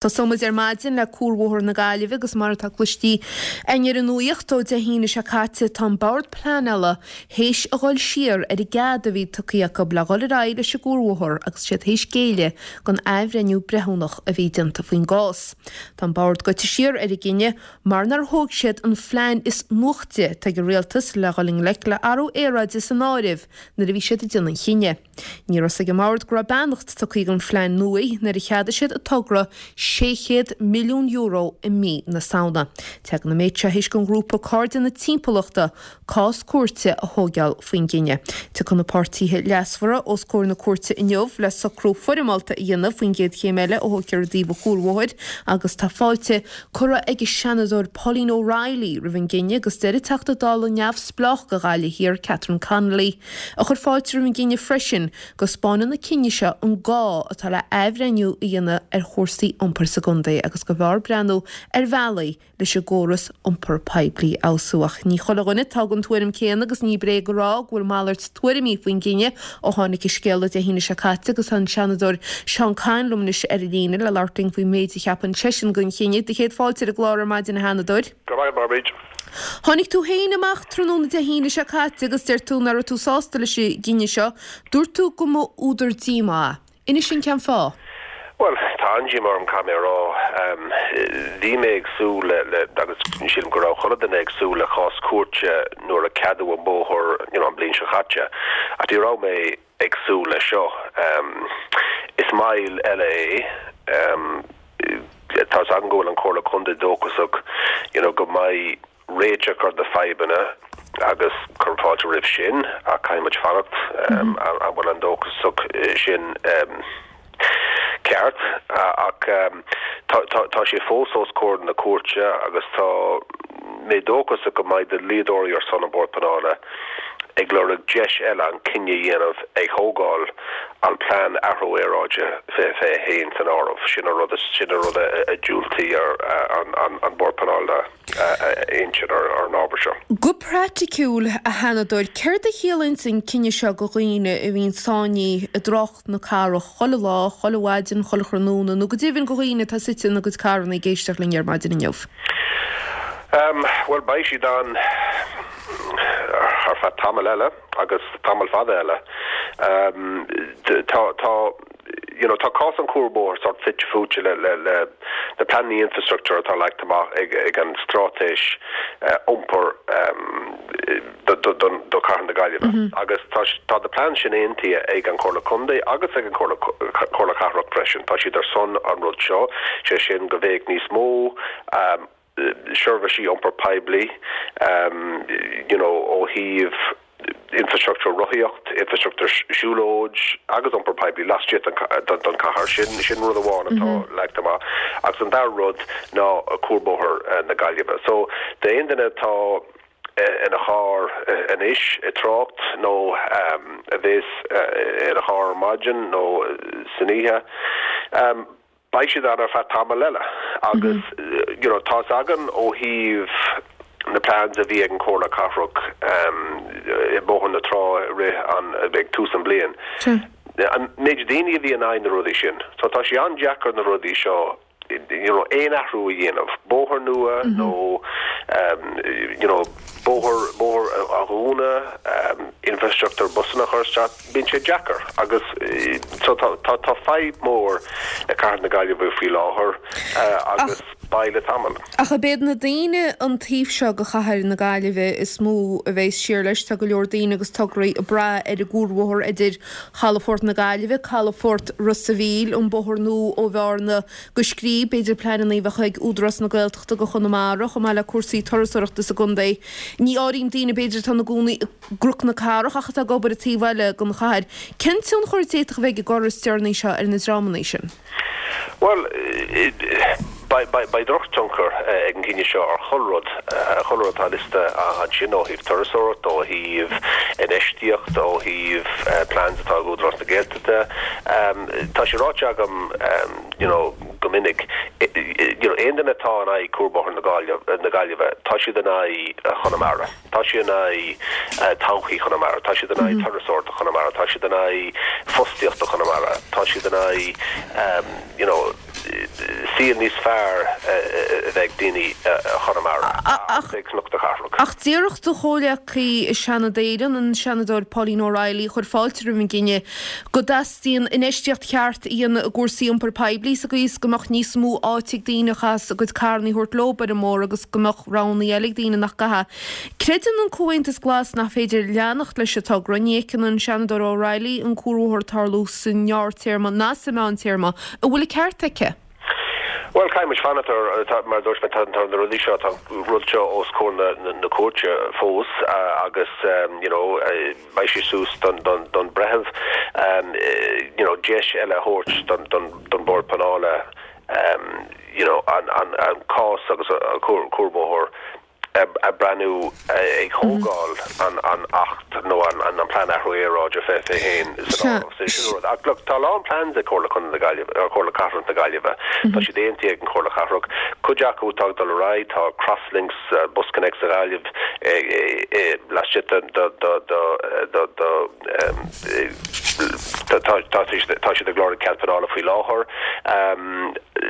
Tosóidh muid ar maidin le Cuarbhóthar na Gaillimhe agus mar atá cloistí againn ar an nuaíocht ó Dé hAoine seo caite tá an Bord Pleanála théis a dhul siar ar an gcead a bhí tugtha acu le dhul ar aghaidh leis an gcuarbhóthar agus siad théis géilleadh don athbhreithniú breithiúnach a bhí déanta faoin gcás. Tá an Bord goite siar ar an gcinneadh mar nár thóg siad an phlean is nuachtaí atá ag an Rialtas le dhul i ngleic le athrú aeráide san áireamh nuair a bhí siad ag déanamh an chinnidh. Ní raibh 's ag an mBord go raibh beannacht tugtha don phlean nua nuair a cheadaigh siad an togra €600 milliún i mí na Samhna. Tagann an méid seo théis don ghrúpa Cairde na Timpeallachta cás cúirte a thóigeáil faoin gcinneadh. Tiocfaidh na páirtithe leasmhara os comhair na cúirte inniu le socrú foirmeálta a dhéanamh faoin gcéad chéim eile a thógfar i dtaobh an chuarbhóthair agus tá fáilte curtha ag an Seanadóir Pauline O'Reilly roimh an gcinneadh agus deir an Teachta Dála neamhspleách do Ghaillimh Thiar Catherine Connolly a chuir fáilte roimh an gcinneadh freisin, go 'spáineann an cinneadh seo an gá atá le athbhreithniú a dhéanamh ar chúrsaí iompair sa gcontae agus go mb'fhearr breathnú ar bhealaí leis an gcóras iompar poiblí a fheabhsú. Ach ní chuile dhuine atá den tuairim céanna agus ní bréag a rá go bhfuil malairt tuairimí faoin gcinneadh ó tháinig an scéala Dé hAoine seo caite agus tá an Seanadóir Seán Kyne liom anois ar an líne le labhairt linn faoin méid a cheapann seisean den chinneadh. Do chéad fáilte ar an gclár ar maidin a Sheanadóir. Go raibh maith agat, a Bhríd. Tháinig tú féin amach tráthnóna Dé hAoine seo caite agus deir tú nach raibh tú sásta leis an gcinneadh seo. Dúirt tú go mba údar díomá é. Inis dúinn cén fáth. Bhuel, tá an-díomá orm, caithfidh mé a rá. Bhí mé ag súil le, le, agus sílim go raibh chuile duine ag súil le cás cúirte nuair a ceadaíodh an bóthar, you know, an bhliain seo caite. Ach ní raibh mé ag súil leis seo. Is moill eile é. Tá's agam go bhfuil an Chomhairle Contae dóchasach you know go mbeidh réiteach ar na fadhbanna agus cuirim fáilte roimh sin ach caithfidh muid fanacht an bhfuil an dóchasach sin ceart ach tá sé fós os comhair na cúirte agus tá mé dóchasach go mbeidh na dlíodóirí ar son an Bhord Pleanála ag lorg deis eile an cinneadh a dhéanamh ag thógáil an plean athrú aeráide 2021 san áireamh. Sin an rud, sin an rud a dhiúltaigh an Bord Pleanála a insint ar an ábhar seo. Go praiticiúil, a Sheanadóir, céard a chiallaíonns an cinneadh seo do dhaoine a bhíonn sáinnithe i dtrácht na cathrach chuile lá, chuile mhaidin, chuile thráthnóna, nó go deimhin do dhaoine atá suite ina gcuid carranna ag éisteacht linn ar maidin inniu? Bhuel, beidh siad ann ar feadh tamall eile. agus tamall fada eile. Tá, tá, you know, tá cás an chuarbhóthair sórt fite fuaite le, le, le na pleananna infrastructúir atá leagtha amach ag, ag an straitéis iompair do, do, don, do Chathair na Gaillimhe. Agus tá, tá na plean sin aontaithe ag an Chomhairle Contae agus ag an Chomhairle, Comhairle Cathrach freisin. Tá siad ar son an rud seo, sé sin go mbeadh níos mó seirbhísí iompar poiblí, you know ó thaobh infrastructúr rothaíocht, infrastructúr siúlóid agus iompar poiblí laistigh den chathair. Sin sin rud amháin atá leagtha amach. Agus an dara rud ná cuarbhóthar na Gaillimhe. So d'aon duine atá ina charr anois ag trácht nó a bhéas ina charr ar maidin nó san oíche, Beidh siad ann ar feadh tamall eile agus you know tá's againn ó thaobh na plans a bhí ag an Chomhairle Cathrach i mBóthar na Trá i rith an, ag tús an bliain, an méid daoine a bhí in aghaidh na rudaí sin. So tá sé an-deacair na rudaí seo you know aon athrú a dhéanamh, bóthar nua nó you know bóthar, bóthar a dhúnadh, infrastructúr busanna a chur isteach. Bíonn sé deacair agus so tá tá fadhb mór ag Cathair na Gaillimhe faoi láthair agus beidh le tamall. Ach ab iad na daoine an taobh seo de Chathair na Gaillimhe is mó a bheas siar leis. Tá go leor daoine agus tograí ag brath ar an gcuarbhóthar idir Chalafort na Gaillimhe, Calafort Ros a' Mhíl, an bóthar nua ó Bhearna go Scríb, b'fhéidir pleananna a bheadh ag Údarás na Gaeltachta do Chonamara, chomh maith le cúrsaí turasóireachta sa gcontae. Ní áirím daoine b'fhéidir atá ina gcónaí i gCnoc na Cathrach ach atá ag obair an taobh eile den chathair. Cén tionchar a d'fhéadfadh a bheith ag an gcor is deireanaí seo ar na dreamanna sin? Bhuel, beidh drochthionchar ag an gcinneadh seo ar chuile rud, chuile rud atá liosta ansin ó thaobh turasóireacht, ó thaobh infheistíocht, ó thaobh plans atá ag Údarás na Gaeltachta. Tá sé ráite agam you know go minic, you know aon duine atá in aghaidh Cuarbhóthar na Gaillimhe, tá siad in aghaidh Chonamara. Tá siad in aghaidh todhchaí Chonamara, tá siad in aghaidh turasóireachta Chonamara, tá siad in aghaidh fostaíochta Chonamara, tá siad in aghaidh you know. saol níos fearr a bheith ag daoine i Chonamara agus ag lucht na cathrach. Ach déarfadh do chomhghleacaí i Seanad Éireann, an Seanadóir Pauline O'Reilly, a chuir fáilte roimh an gcinneadh, go dteastaíonn infheistíocht cheart a dhéanamh i gcúrsaí iompair poiblí sa gcaoi is go mbeadh níos mó áite ag daoine a chaitheas a gcuid carranna a thabhairt leo ar an mbóthar agus go mbeadh roghanna eile ag daoine nach gcaithfeadh. Creideann an Comhaontas Glas nach féidir leanacht leis an togra. Ní fheiceann an Seanadóir O'Reilly an cuarbhóthar ag tarlú sa ngearrtéarma ná sa mheántéarma. An bhfuil an ceart aici? Bhuel, caithfidh muid fanacht ar, mar a dúirt mé, tá na rudaí seo, tá an rud seo os comhair na cúirte fós agus you know beidh sé suas don don breitheamh you know deis eile a thabhairt don don don Bord Pleanála you know an an an cás agus an cuarbhóthar a breathnú ag thógáil an Acht nó an Plean Athrú Aeráide 2021 san áireamh. So sin an rud. Ach look, tá a lán plans ag Comhairle Contae na Gaillimhe, or Comhairle Cathrach na Gaillimhe. Tá siad aontaithe ag an Chomhairle Cathrach. Cuid acu atá ag dul ar aghaidh, tá Crosslinks, BusConnects sa Ghaillimh laistigh de tá siad ag lorg cead pleanála faoi láthair.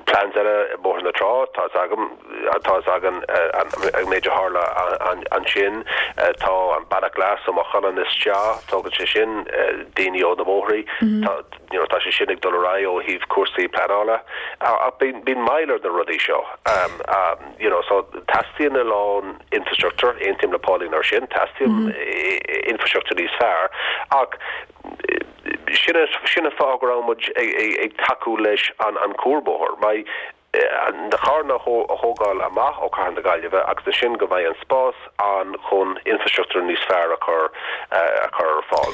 Plans eile, Bóthar na Trá, tá a fhios agam. Tá fhios againn an méid a tharla ansin. Tá an Bealach Glas ó Maigh Cuilinn isteach, tógann sé sin daoine ó na bóithrí. You know, tá sé sin ag dul ar aghaidh ó thaobh cúrsaí pleanála. Ach bíonn moill ar na rudaí seo. You know, so teastaíonn a lán infrastructure, aontaím le Pauline ar sin, teastaíonn infrastructure níos fearr. Ach sin sin an fáth go raibh muid ag tacú leis an cuarbhóthar. Mar na carranna a thógáil amach ó Cathair na Gaillimhe agus ansin go mbeidh an spás ann chun infrastruchtúr níos fearr a chur a chur ar fáil.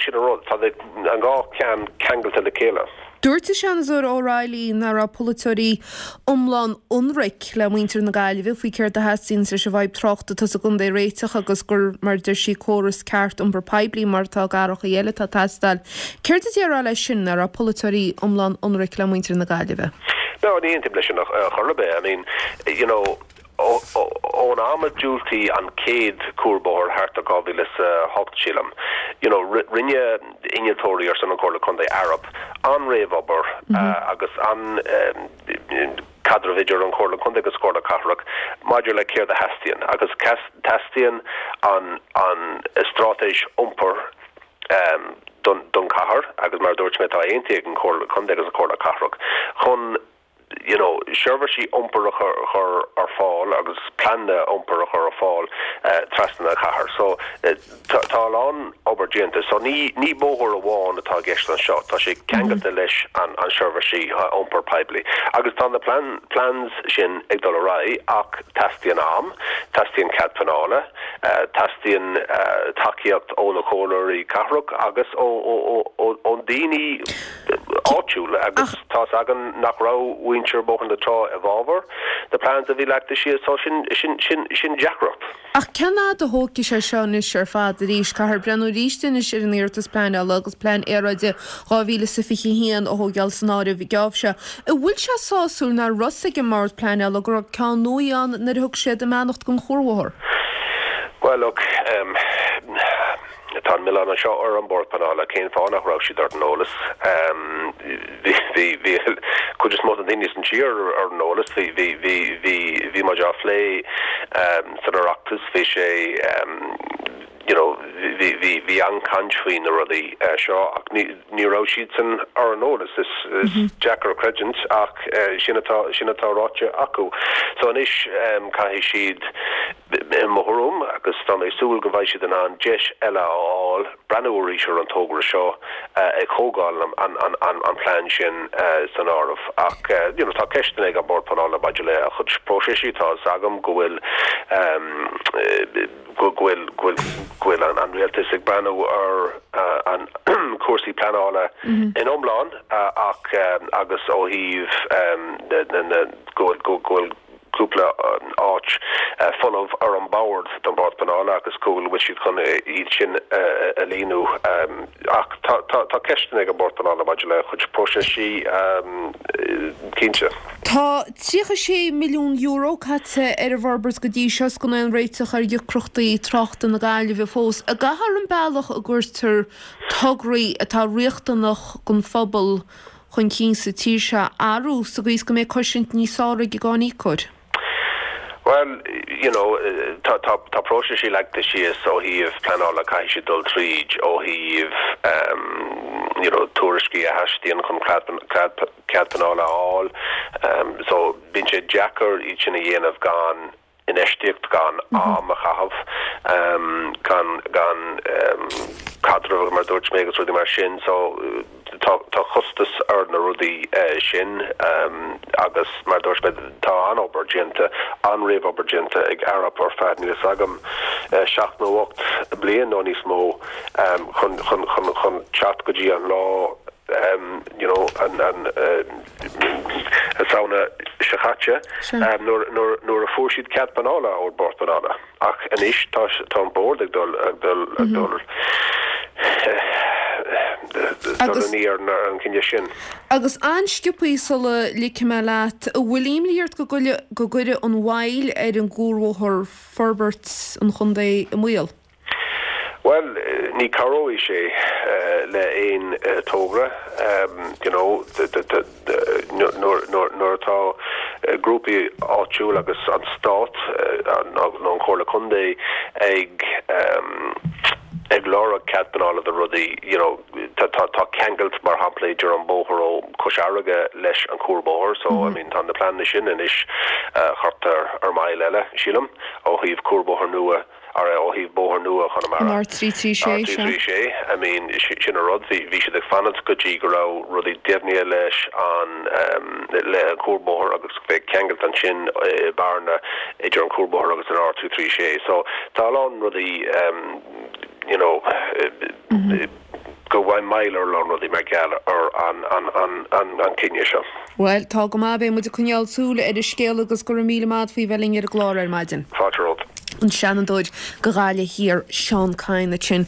Sin an rud, tá an dá cheann ceangailte le chéile. Dúirt an Seanadóir O'Reilly nach raibh polaiteoirí iomlán ionraic le muintir na Gaillimhe faoi céard a theastaíonns leis an bhfadhb tráchta atá sa gcontae a réiteach agus gur, mar a deir sí, córas ceart iompar poiblí mar atá i gcathracha eile atá ag teastáil. Céard a déarfá leis sin, nach raibh polaiteoirí iomlán ionraic le muintir na Gaillimhe? No, ní aontaím leis sin ar chor ar bith. I mean, you know, ón am a diúltaíodh an chéad cuarbhóthar thart ar 2008, sílim, you know, rinne innealtóirí ar son an Chomhairle Contae Arup an-réamhobair agus an caidreamh idir an Chomhairle Contae agus Comhairle Cathrach maidir le céard a theastaíonn agus teastaíonn an an straitéis iompair don chathair agus mar a dúirt mé tá aontaithe ag an Chomhairle Contae agus an Chomhairle Cathrach chun you know seirbhísí iompair a chur ar fáil agus pleananna iompair a chur ar fáil trasna na cathair. So tá a lán obair déanta. So ní ní bóthar amháin atá i gceist anseo, tá sé ceangailte leis an an seirbhísí iompair poiblí. Agus tá na plan plans sin ag dul ar aghaidh ach teastaíonn am, teastaíonn cead pleanála, Teastaíonn tacaíocht ó na comhairleoirí cathrach agus ó daoine áitiúla agus tá's againn nach raibh muintir Bhóthar na Trá i bhfabhar na plans a bhí leagtha síos so sin sin deacracht. Ach cén fhad a thógfaidh sé seo anois ar fad arís? Caithfear breathnú arís anois ar an iarratas pleanála agus plean aeráide 2021 a thógáil san áireamh. Geábh seo. An bhfuil sé sásúil nach raibh fhios ag an mBord Pleanála go raibh ceann nua ann nuair a thug siad a mbeannacht don chuarbhóthar? Bhuel, look, em, tá an milleán anseo ar an Bord Pleanála, cén fáth nach raibh siad ar an eolas? Em, bhí, bhí, bhí cuid is mó de na daoine san tír ar an eolas, bhí, bhí, bhí, bhí, bhí muid á phlé, em, san Oireachtas, bhí sé, em, you know, bhí, bhí, bhí an-chaint faoi na rudaí seo ach ní, ní raibh siadsan ar an eolas. Is, is deacair a chreidiúint ach sin atá, sin atá ráite acu. So anois caithfidh siad, i mo thuairim, agus tá mé ag súil go mbeidh siad in ann deis eile a fháil breathnú arís ar an togra seo ag thógáil an, an, an, an plean sin san áireamh. Ach you know, tá ceisteanna ag an Bord Pleanála maidir le a chuid próiseas, tá fhios agam go bhfuil go bhfuil go bhfuil an rialtas ag breathnú ar an cúrsaí pleanála in iomlán ach agus ó thaobh na go bhfuil cúpla áit folamh ar an bord don Bhord Pleanála agus go bhfuil siad chun iad sin a líonadh. Ach tá ceisteanna ag an Bord Pleanála maidir le chuid próiseas cinnte. Tá €36 milliún caite ar an bhforbairt go dtí seo is gan aon réiteach ar dheacrachtaí tráchta na Gaillimhe fós. An gcaithfear an bealach a gcuirtear tograí atá riachtanach don phobal? chun cinn sa tír seo a athrú sa gcaoi is go mbeidh cosaint níos fearr ag an gcáiníocóir? Bhuel, you know, tá, tá, tá próiseas leagtha síos ó thaobh pleanála, caithfidh siad dul tríd ó thaobh, you know, tuairiscí a theastaíonn chun cead, cead pleanála a fháil. So, bíonn sé deacair iad sin a dhéanamh gan infheistíocht, gan am a chaitheamh, gan, gan caidreamh, mar a dúirt mé, agus rudaí mar sin. So, tá, tá costas ar na rudaí sin agus mar a dúirt mé, tá an-obair déanta, an-réamhobair déanta ag Arup ar feadh, níl a fhios agam, seacht nó 8 bliain nó níos mó chun, chun, chun, chun teacht go dtí an lá you know, an, an, Samhna seo caite nuair a fuair siad cead pleanála ón Bord Pleanála. Ach anois tá tá an Bord ag dul ag dul ag dul dul aniar ar an gcinneadh sin. Agus an-sciobthaí sula ligfidh mé leat, an bhfuil imní ort go go gcuirfidh an mhoill ar an gcuarbhóthar forbairt an chontae i mbaol? Bhuel, ní cabhróidh sé le aon togra, you know, nuair atá grúpaí áitiúil agus an Stát nó an Chomhairle Contae ag ag lorg cead pleanála do rudaí, you know, tá tá ceangailt mar shampla idir an bóthar ó Chois Fharraige leis an cuarbhóthar, so I mean tá na pleananna sin anois thart ar mile eile, sílim, ó thaobh cuarbhóthar nua. Ar ó thaobh bóthar nua Chonamara. An R336, sea. R336, I mean, sin an rud, bhí, bhí siad ag fanacht go dtí go raibh rudaí deimhnithe leis an, le an cuarbhóthar agus bheadh ceangailt ansin i Bearna idir an cuarbhóthar agus an R336. So, tá a lán rudaí, you know, go bhfuil moill ar a lán rudaí mar gheall ar an, an, an, an, an cinneadh seo. Bhuel, tá go maith, beidh muid ag coinneáil súil ar an scéal agus go raibh míle maith agat faoi bheith linn ar an gclár ar maidin. Fáilte romhat. An Seanadóir do Ghaillimh Thiar, Seán Kyne ansin.